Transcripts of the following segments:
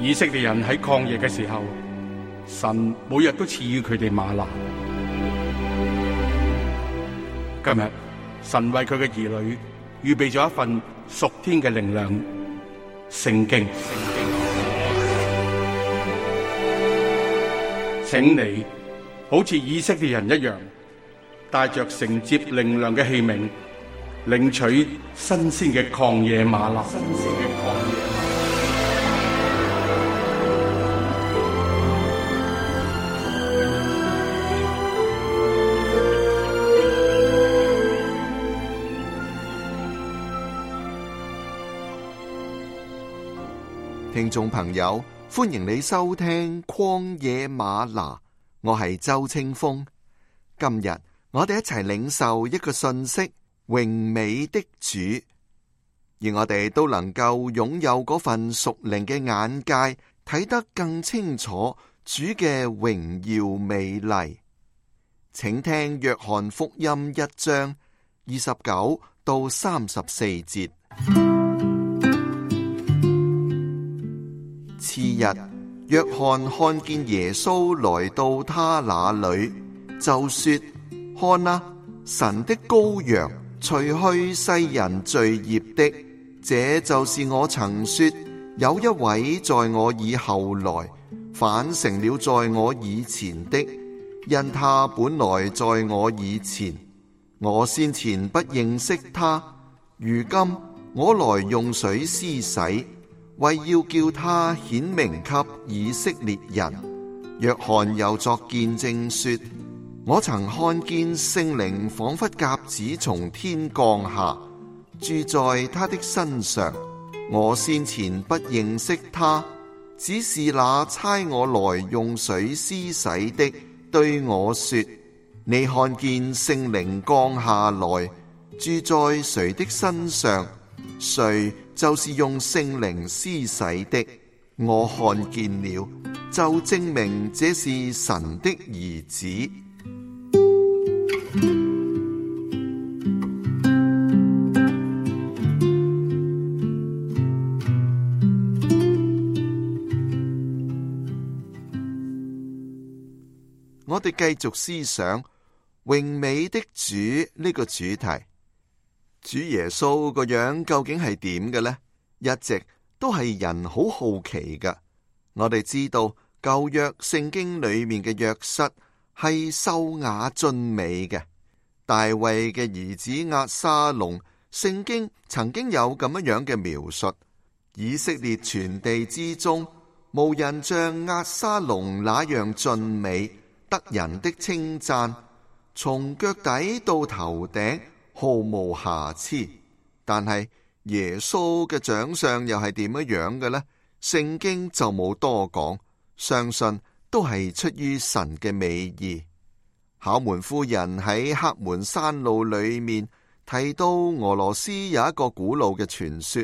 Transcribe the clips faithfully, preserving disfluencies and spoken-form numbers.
以色列人喺曠野嘅時候，神每日都賜予佢哋嗎哪。今日神為佢嘅兒女預備咗一份屬天嘅靈糧——聖經。請你好似以色列人一樣，帶着承接靈糧嘅器皿，領取新鮮嘅曠野嗎哪。新鮮嘅曠野嗎哪。聽眾朋友，歡迎你收聽曠野嗎哪，我係周清風。今日我哋一齊領受一個信息：榮美的主，而我哋都能夠擁有嗰份屬靈嘅眼界，睇得更清楚主嘅榮耀美麗。請聽約翰福音一章二十九到三十四節。次日，約翰看見耶穌來到他那裏，就說：看啊，神的羔羊，除去世人罪孽的。這就是我曾說，有一位在我以後來，反成了在我以前的，因他本來在我以前，我先前不認識他，如今我來用水施洗，為要叫他顯明給以色列人。約翰又作見證說：我曾看見聖靈仿佛鴿子從天降下，住在他的身上。我先前不認識他，只是那差我來用水施洗的對我說：你看見聖靈降下來，住在誰的身上，誰就是用聖靈施洗的。我看見了，就證明這是神的兒子。我哋繼續思想榮美的主呢個主題。主耶穌個樣究竟係點嘅呢？一直都係人好好奇噶。我哋知道舊約聖經裏面嘅約瑟係秀雅俊美嘅。大衛嘅兒子押沙龍，聖經曾經有咁樣樣嘅描述：以色列全地之中，無人像押沙龍那樣俊美，得人的稱讚，從腳底到頭頂毫無瑕疵。但係耶穌嘅長相又係點樣樣嘅呢？聖經就冇多講，相信都係出於神嘅美意。考門夫人喺黑門山路裏面提到俄羅斯有一個古老嘅傳說，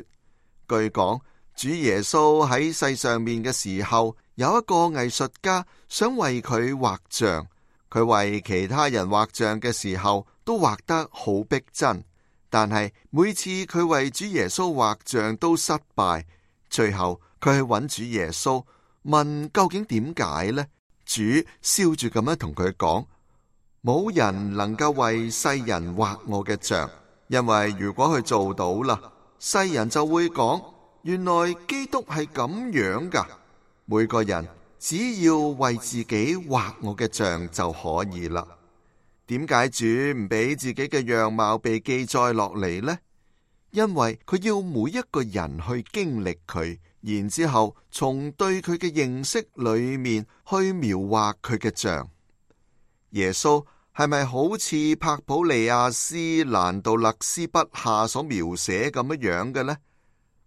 據講主耶穌喺世上面嘅時候，有一個藝術家想為佢畫像，佢為其他人畫像嘅時候都畫得好逼真，但係每次佢為主耶穌畫像都失敗。最後佢去揾主耶穌問究竟點解呢？主笑住咁樣同佢講：冇人能夠為世人畫我嘅像，因為如果佢做到啦，世人就會講，原來基督係咁樣噶。每個人只要為自己畫我嘅像就可以啦。點解主唔俾自己嘅樣貌被記載落嚟呢？因為佢要每一個人去經歷佢，然之後從對佢嘅認識裏面去描畫佢嘅像。耶穌係咪好似帕普利亞斯蘭杜勒斯筆下所描寫咁樣樣嘅呢？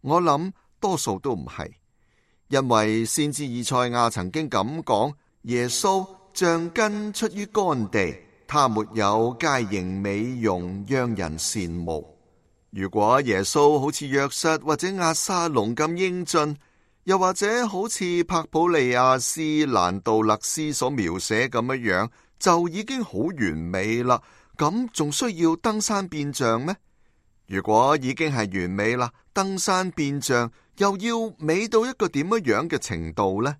我諗多數都唔係，因為先知以賽亞曾經咁講：耶穌像根出於乾地，他沒有佳形美容，讓人羨慕。如果耶穌好似約瑟或者押沙龍咁英俊，又或者好似帕普利亞斯蘭杜勒斯所描寫咁樣樣，就已經好完美啦。咁仲需要登山變像咩？如果已經係完美啦，登山變像又要美到一個點樣嘅程度呢？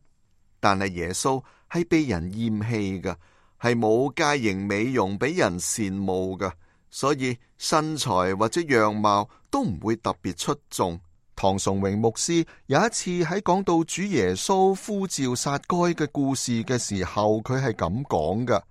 但係耶穌係被人厭棄嘅，係冇佳型美容俾人羨慕嘅，所以身材或者樣貌都唔會特別出眾。唐崇榮牧師有一次喺講到主耶穌呼召撒該嘅故事嘅時候，佢係咁講嘅：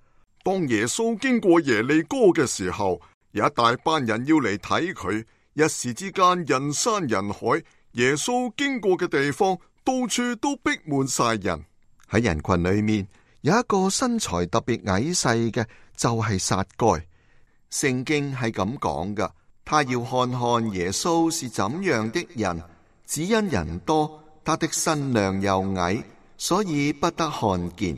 當耶穌經過耶利哥嘅時候，有一大班人要嚟睇佢，一時之間人山人海，耶穌經過嘅地方到處都逼滿晒人。喺人群裏面有一個身材特別矮細嘅，就係撒該。聖經係咁講噶，他要看看耶穌是怎樣的人，只因人多，他的身量又矮，所以不得看見。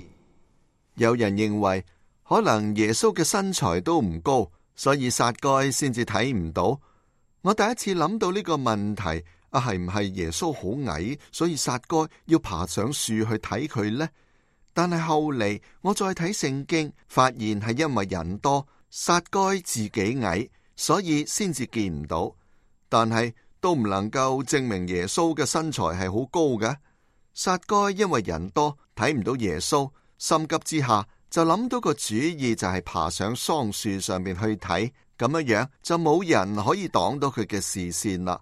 有人認為可能耶穌嘅身材都唔高，所以撒該先至睇唔到。我第一次諗到呢個問題，啊，係唔係耶穌好矮，所以撒該要爬上樹去睇佢呢？但係後嚟我再睇聖經，發現係因為人多，撒該自己矮，所以先至見唔到。但係都唔能夠證明耶穌嘅身材係好高嘅。撒該因為人多睇唔到耶穌，心急之下就諗到個主意，就係爬上桑樹上面去睇，咁樣樣就冇人可以擋到佢嘅視線啦。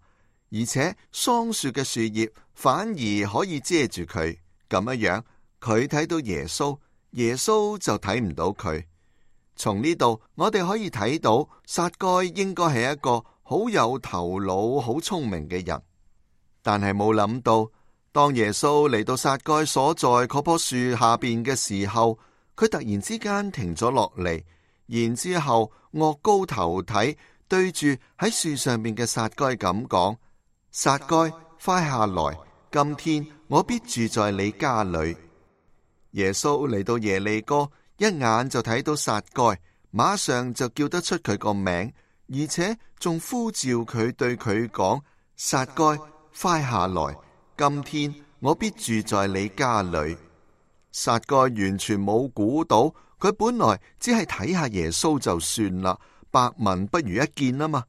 而且桑樹嘅樹葉反而可以遮住佢，咁樣樣佢睇到耶穌，耶穌就睇唔到佢。從呢度我哋可以睇到撒該應該係一個好有頭腦、好聰明嘅人，但係冇諗到，當耶穌嚟到撒該所在嗰棵樹下邊嘅時候，佢突然之間停咗落嚟，然之後岳高頭睇，對住喺樹上面嘅撒該咁講：撒該，快下來，今天我必住在你家裏。耶穌嚟到耶利哥，一眼就睇到撒該，馬上就叫得出佢個名，而且仲呼召佢，對佢講：撒該，快下來，今天我必住在你家裏。撒該完全冇估到，佢本來只係睇下耶穌就算啦，百聞不如一見啊嘛。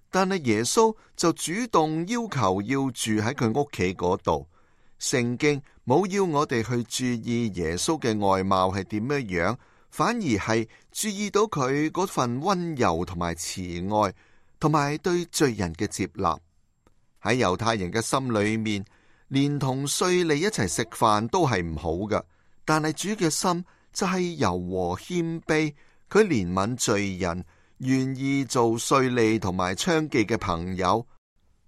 但係耶穌就主動要求要住喺佢屋企嗰度。聖經冇要我哋去注意耶穌嘅外貌係點樣樣，反而係注意到佢嗰份溫柔同埋慈愛，同埋對罪人嘅接納。喺猶太人嘅心裏面，連同稅吏一齊食飯都係唔好㗎，但係主嘅心就係柔和謙卑，佢憐憫罪人，願意做稅吏同埋娼妓嘅朋友。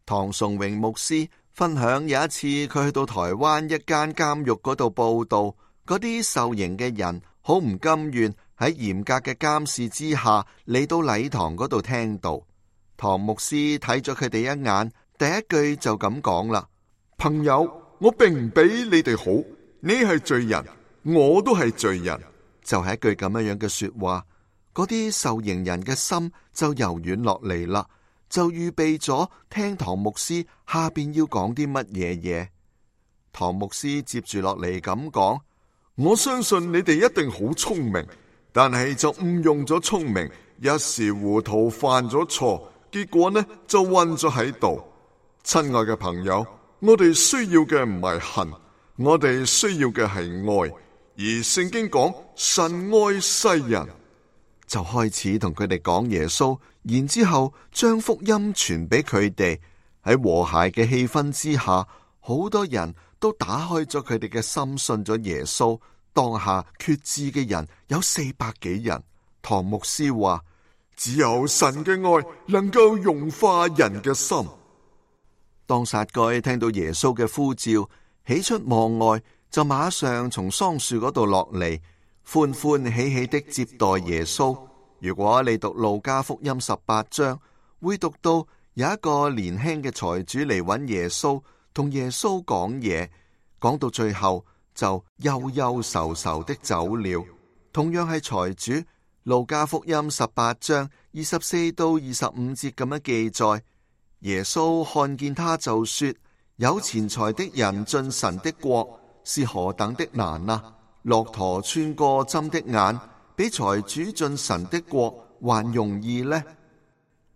唐崇榮牧師分享有一次佢去到台灣一間監獄嗰度報道，嗰啲受刑嘅人好唔甘願喺嚴格嘅監視之下嚟到禮堂嗰度聽道。唐牧師睇咗佢哋一眼，第一句就咁講啦：朋友，我並唔比你哋好，你係罪人，我都係罪人。就係一句咁樣樣嘅說話，嗰啲受刑人嘅心就柔軟落嚟啦，就預備咗聽唐牧師下邊要講啲乜嘢嘢。唐牧師接住落嚟咁講：我相信你哋一定好聰明，但係就誤用咗聰明，一時糊塗犯咗錯，結果呢就暈咗喺度。親愛嘅朋友，我哋需要嘅唔係恨，我哋需要嘅係愛。而聖經講神愛世人，就開始同佢哋講耶穌，然之後將福音傳俾佢哋。喺和諧嘅氣氛之下，好多人都打開咗佢哋嘅心，信咗耶穌。當下決志嘅人有四百幾人。唐牧師話：只有神嘅愛能夠融化人嘅心。當撒該聽到耶穌嘅呼召，喜出望外，就馬上從桑樹嗰度落嚟，歡歡喜喜的接待耶穌。如果你讀路加福音十八章，會讀到有一個年輕嘅財主嚟揾耶穌，同耶穌講嘢，講到最後就憂憂愁愁的走了。同樣係財主，路加福音十八章二十四到二十五節咁樣記載，耶穌看見他就說：有錢財的人進神的國是何等的難啊！駱駝穿過針的眼，比財主進神的國還容易呢。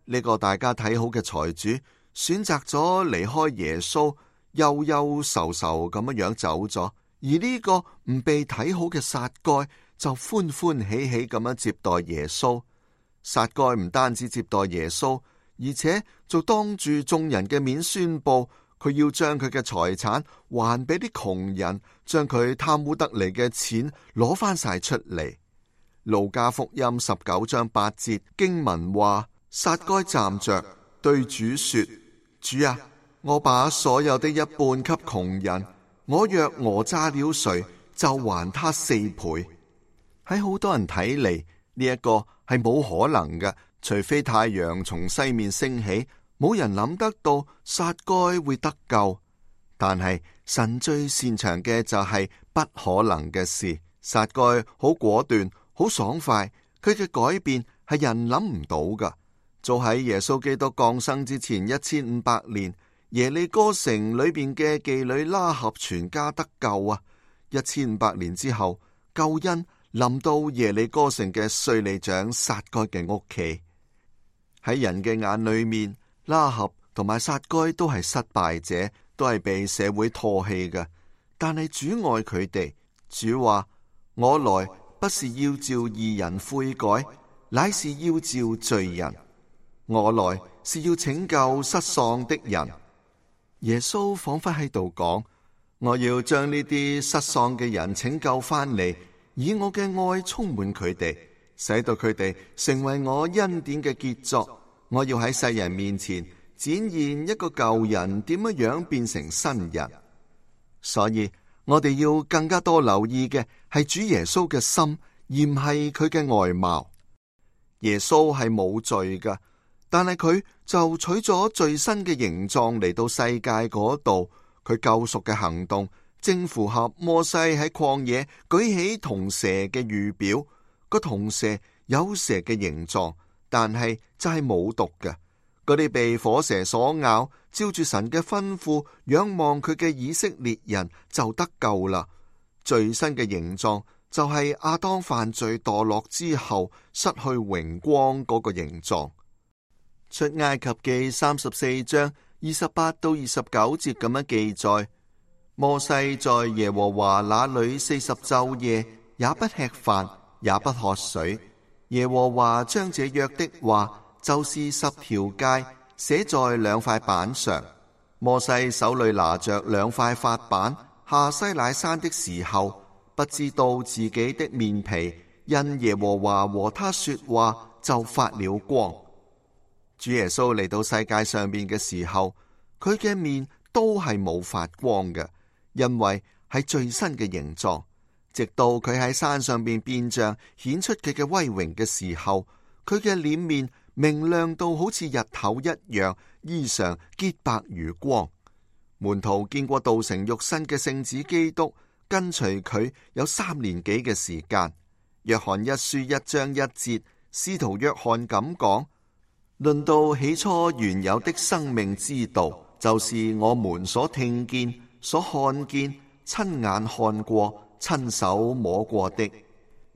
呢個大家睇好嘅財主選擇咗離開耶穌，憂憂愁愁咁樣走咗，而呢個唔被睇好嘅撒該就歡歡喜喜咁樣接待耶穌。撒該唔單止接待耶穌，而且就當住眾人嘅面宣布，佢要將佢嘅財產還俾啲窮人，將佢貪污得嚟嘅錢攞翻晒出嚟。路加福音十九章八節經文話，撒該站着對主說，主啊，我把所有的一半給窮人，我若訛詐了誰，就還他四倍。喺好多人睇嚟，呢一個係冇可能嘅，除非太陽從西面升起，冇人諗得到撒該會得救。但係神最擅長嘅就係不可能嘅事。撒該好果斷，好爽快，佢嘅改變係人諗唔到噶。早喺耶穌基督降生之前一千五百年，耶利哥城裏邊嘅妓女拉合全家得救啊！一千五百年之後，救恩臨到耶利哥城嘅稅吏長撒該嘅屋企。喺人嘅眼裏面，拉合同埋撒該都係失敗者，都係被社會唾棄嘅。但係主愛佢哋，主話：我來不是要召義人悔改，乃是要召罪人。我來是要拯救失喪的人。耶穌仿佛喺度講：我要將呢啲失喪嘅人拯救翻嚟，以我嘅愛充滿佢哋，使到佢哋成為我恩典嘅傑作。我要喺世人面前展現一個舊人點樣樣變成新人。所以我哋要更加多留意嘅係主耶穌嘅心，而唔係佢嘅外貌。耶穌係冇罪噶，但係佢就取咗最新嘅形狀嚟到世界嗰度。佢救贖嘅行動正符合摩西喺曠野舉起銅蛇嘅預表。個銅蛇有蛇嘅形狀，但係就係冇毒嘅。嗰啲被火蛇所咬，照住神嘅吩咐仰望佢嘅以色列人就得救啦。最新嘅形狀就係亞當犯罪墮落之後失去榮光嗰個形狀。出埃及記三十四章二十八到二十九節咁樣記載：摩西在耶和華那裏四十晝夜，也不吃飯，也不喝水。耶和華將這約的話，就是十條誡，寫在兩塊板上。摩西手裏拿着兩塊法板，下西乃山的時候，不知道自己的面皮因耶和華和他說話就發了光。主耶穌嚟到世界上面嘅時候，佢嘅面都係冇發光嘅，因為係最新嘅形狀。直到佢喺山上邊變像顯出佢嘅威榮嘅時候，佢嘅臉面明亮到好似日頭一樣，衣裳潔白如光。門徒見過道成肉身嘅聖子基督，跟隨佢有三年幾嘅時間。約翰一書一章一節，使徒約翰咁講：論到起初原有的生命之道，就是我們所聽見、所看見、親眼看過、親手摸過的。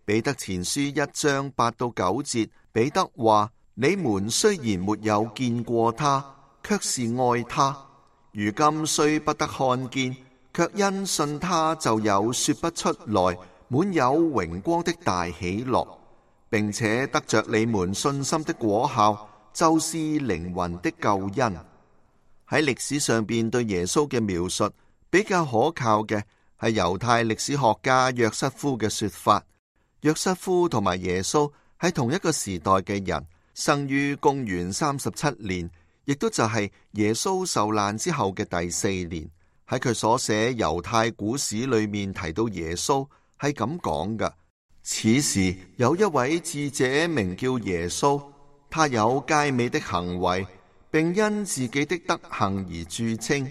彼得前書一章八到九節，彼得話：你們雖然沒有見過他，卻是愛他。如今雖不得看見，卻因信他就有說不出來、滿有榮光的大喜樂，並且得着你們信心的果效，就是靈魂的救恩。喺歷史上邊對耶穌嘅描述比較可靠嘅係猶太歷史學家約瑟夫嘅說法。約瑟夫同埋耶穌係同一個時代嘅人，生於公元三十七年，亦都就係耶穌受難之後嘅第四年。喺佢所寫猶太古史裏面提到耶穌係咁講嘅：此時有一位智者名叫耶穌，他有佳美的行為，並因自己的德行而著稱。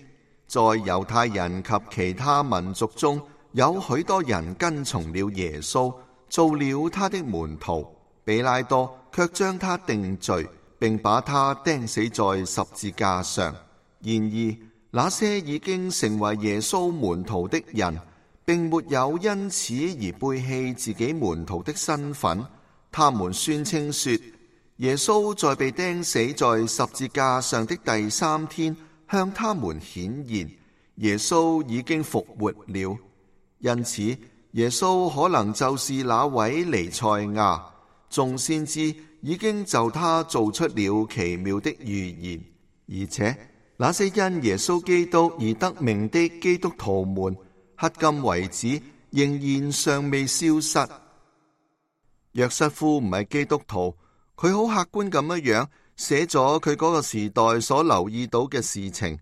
在猶太人及其他民族中，有許多人跟從了耶穌，做了他的門徒。比拉多卻將他定罪，並把他釘死在十字架上。然而，那些已經成為耶穌門徒的人，並沒有因此而背棄自己門徒的身份。他們宣稱說，耶穌在被釘死在十字架上的第三天向他們顯現，耶穌已經復活了，因此耶穌可能就是那位彌賽亞。眾先知已經就他做出了奇妙的預言，而且那些因耶穌基督而得名的基督徒們，迄今為止仍然尚未消失。約瑟夫唔係基督徒，佢好客觀咁樣樣寫咗佢嗰個時代所留意到嘅事情，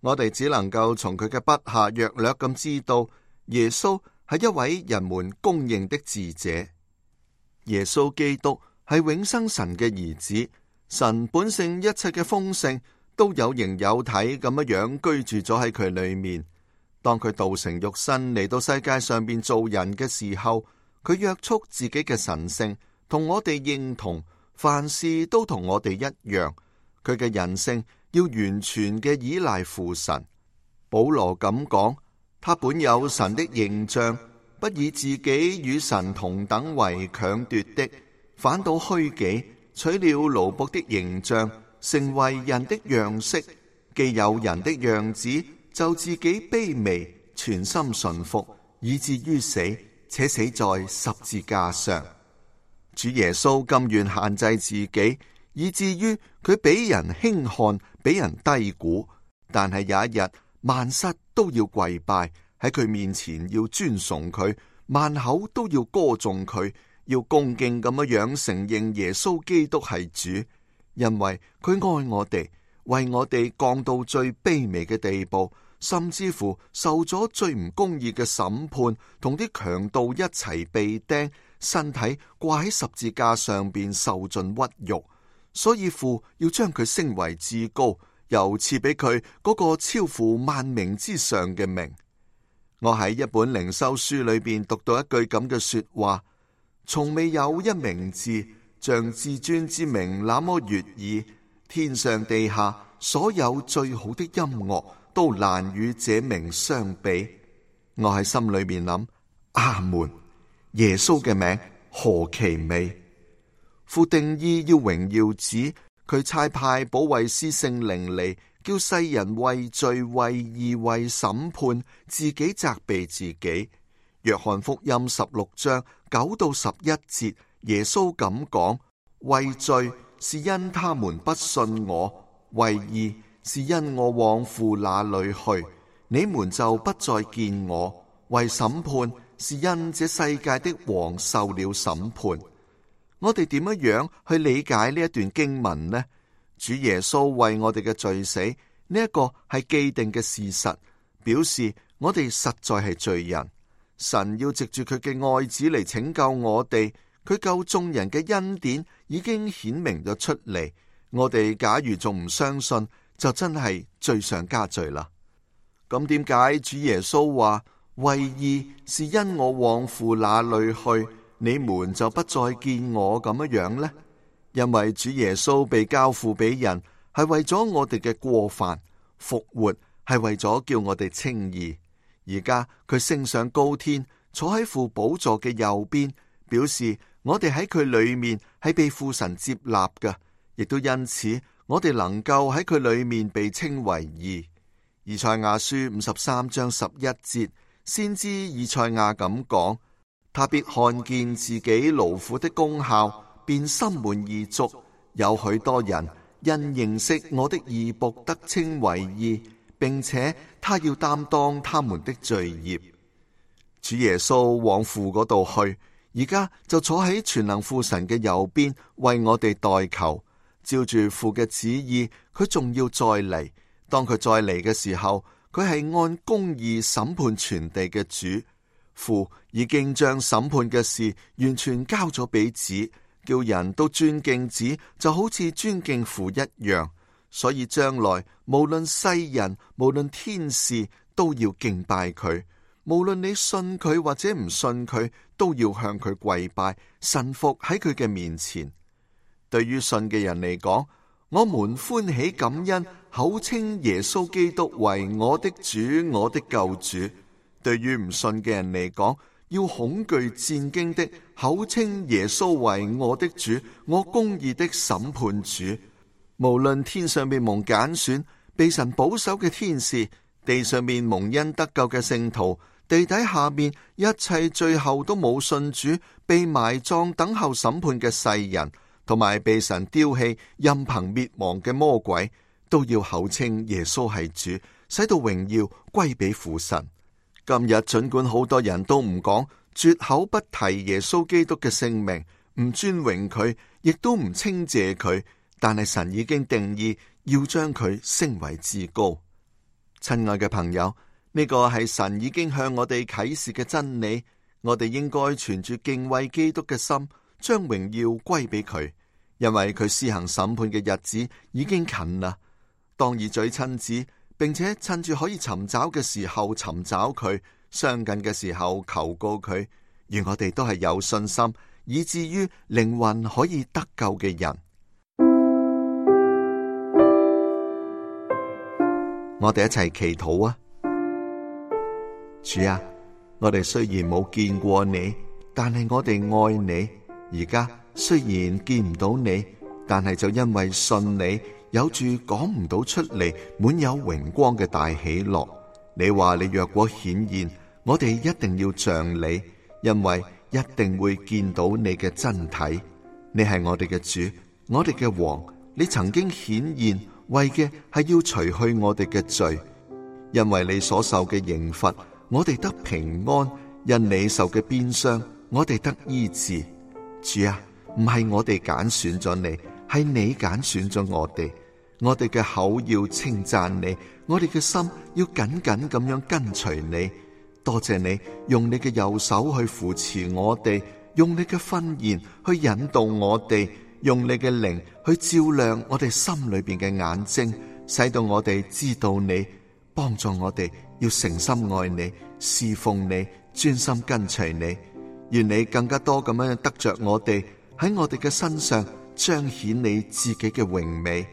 我哋只能夠從佢嘅筆下約略咁知道，耶穌係一位人們公認的智者。耶穌基督係永生神嘅兒子，神本性一切嘅豐盛都有形有體咁樣樣居住咗喺佢裏面。當佢道成肉身嚟到世界上邊做人嘅時候，佢約束自己嘅神性，同我哋認同，凡事都同我哋一樣。佢嘅人性要完全嘅依賴父神。保羅咁講，他本有神的形象，不以自己與神同等為強奪的，反倒虛己，取了奴僕的形象，成為人的樣式。既有人的樣子，就自己卑微，全心順服，以至於死，且死在十字架上。主耶穌甘願限制自己，以至於佢俾人輕看，俾人低估。但係有一日，萬膝都要跪拜喺佢面前，要尊崇佢，萬口都要歌頌佢，要恭敬咁樣樣承認耶穌基督係主，因為佢愛我哋，為我哋降到最卑微嘅地步，甚至乎受咗最唔公義嘅審判，同啲強盜一齊被釘，身體掛喺十字架上邊受盡屈辱。所以父要將佢升為至高，又賜俾佢嗰個超乎萬名之上嘅名。我喺一本靈修書裏邊讀到一句咁嘅說話：從未有一名字像至尊之名那麼悅耳，天上地下所有最好的音樂都難與這名相比。我喺心裏面諗：阿門！耶穌嘅名何其美！父定意要榮耀子，佢差派保惠師聖靈嚟，叫世人為罪、為義、為審判，自己責備自己。約翰福音十六章九到十一節，耶穌咁講：為罪是因他們不信我，為義是因我往父那裏去，你們就不再見我；為審判是因這世界的王受了審判。我哋點樣去理解呢一段經文呢？主耶穌為我哋嘅罪死，呢一個係既定嘅事實，表示我哋實在係罪人。神要藉住佢嘅愛子嚟拯救我哋，佢救眾人嘅恩典已經顯明咗出嚟。我哋假如仲唔相信，就真係罪上加罪啦。咁點解主耶穌話為義是因我往父那裏去，你們就不再見我咁樣樣呢？因為主耶穌被交付俾人，係為咗我哋嘅過犯；復活係為咗叫我哋稱義。而家佢升上高天，坐喺父寶座嘅右邊，表示我哋喺佢裏面係被父神接納嘅，亦都因此我哋能夠喺佢裏面被稱為義。以賽亞書五十三章十一節，先知以賽亞咁講：他必看見自己勞苦的功效，便心滿意足。有許多人因認識我的義僕得稱為義，並且他要擔當他們的罪孽。主耶穌往父嗰度去，而家就坐喺全能父神嘅右邊，為我哋代求。照住父嘅旨意，佢仲要再嚟。當佢再嚟嘅時候，佢係按公義審判全地嘅主。父已經將審判嘅事完全交咗俾子，叫人都尊敬子，就好似尊敬父一樣。所以將來無論世人，無論天使，都要敬拜佢。無論你信佢或者唔信佢，都要向佢跪拜，臣服喺佢嘅面前。對於信嘅人嚟講，我們歡喜感恩，口稱耶穌基督為我的主，我的救主。對於唔信嘅人嚟講，要恐懼戰驚的，口稱耶穌為我的主，我公義的審判主。無論天上被蒙揀選、被神保守嘅天使，地上面蒙恩得救嘅聖徒，地底下面一切最後都冇信主、被埋葬等候審判嘅世人，同埋被神丟棄、任憑滅亡嘅魔鬼，都要口稱耶穌係主，使到榮耀歸俾父神。今日盡管好多人都唔講，絕口不提耶穌基督嘅聖名，唔尊榮佢，亦都唔稱謝佢，但係神已經定義要將佢升為至高。親愛嘅朋友，呢個係神已經向我哋啟示嘅真理，我哋應該存住敬畏基督嘅心，將榮耀歸俾佢，因為佢施行審判嘅日子已經近啦。當以嘴親子，並且趁住可以尋找嘅時候尋找佢，相近嘅時候求告佢，而我哋都係有信心，以至於靈魂可以得救嘅人。我哋一齊祈禱啊！主啊，我哋雖然冇見過你，但係我哋愛你。而家雖然見唔到你，但係就因為信你，有住講唔到出嚟，滿有榮光嘅大喜樂。你話你若果顯現，我哋一定要像你，因為一定會見到你嘅真體。你係我哋嘅主，我哋嘅王。你曾經顯現，為嘅係要除去我哋嘅罪，因為你所受嘅刑罰，我哋得平安；因你受嘅鞭傷，我哋得醫治。主啊，唔係我哋揀選咗你，係你揀選咗我哋。我哋嘅口要稱讚你，我哋嘅心要緊緊咁樣跟隨你。多謝你用你嘅右手去扶持我哋，用你嘅訓言去引導我哋，用你嘅靈去照亮我哋心裏邊嘅眼睛，使到我哋知道你，幫助我哋要誠心愛你，侍奉你，專心跟隨你。願你更加多咁樣得着我哋，喺我哋嘅身上彰顯你自己嘅榮美。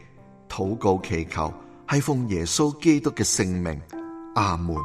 禱告祈求係奉耶穌基督嘅聖名，阿門。